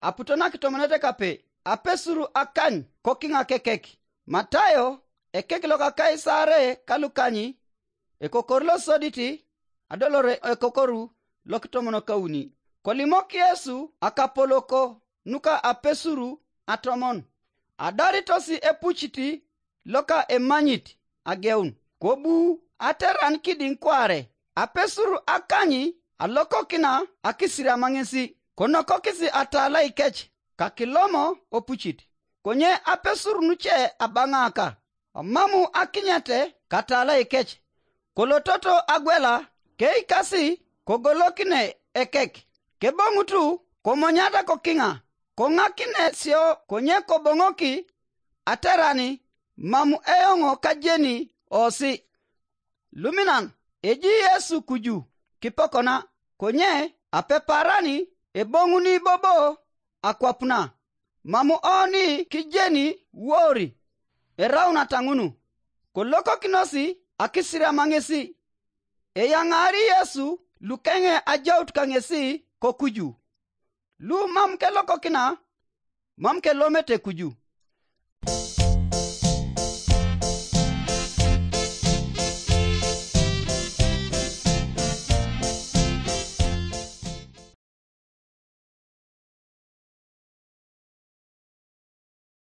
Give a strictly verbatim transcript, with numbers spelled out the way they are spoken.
aputo nakitomonete kape, apesur akany kokiŋa kekek. Matayo, ekek loka Kaisare ka lukany, ekokor losodit, adolore ekokoru lokitomon kauni. Kolimok Yesu akapoloko nuka apesur atomon, adaritos epucit loka emanyit ageun, kobu ateran kidiŋ kware. Apesur akany alokokina akisiriama ŋesi, konokokis atalai kec kakilomo opucit. Konye apesur nuce abaŋaka, omamu akinyete katalai kec, kolototo agwela, keikasi kogolokine ekek, keboŋutu komonyata kokiŋa, koŋakine sio konye koboŋoki aterani mam eoŋ kajeni osi. Luminan eji Yesu kuju kipokona, konye apeparani eboŋuni bobo akwapuna, mam oni kijeni wori eraunata ŋunu, kolokokinosi akisiriama ŋesi. Eyaŋaari Yesu lukeŋe ajaut kaŋesi kokuju. Lu mam kelokokina, mam kelomete kuju.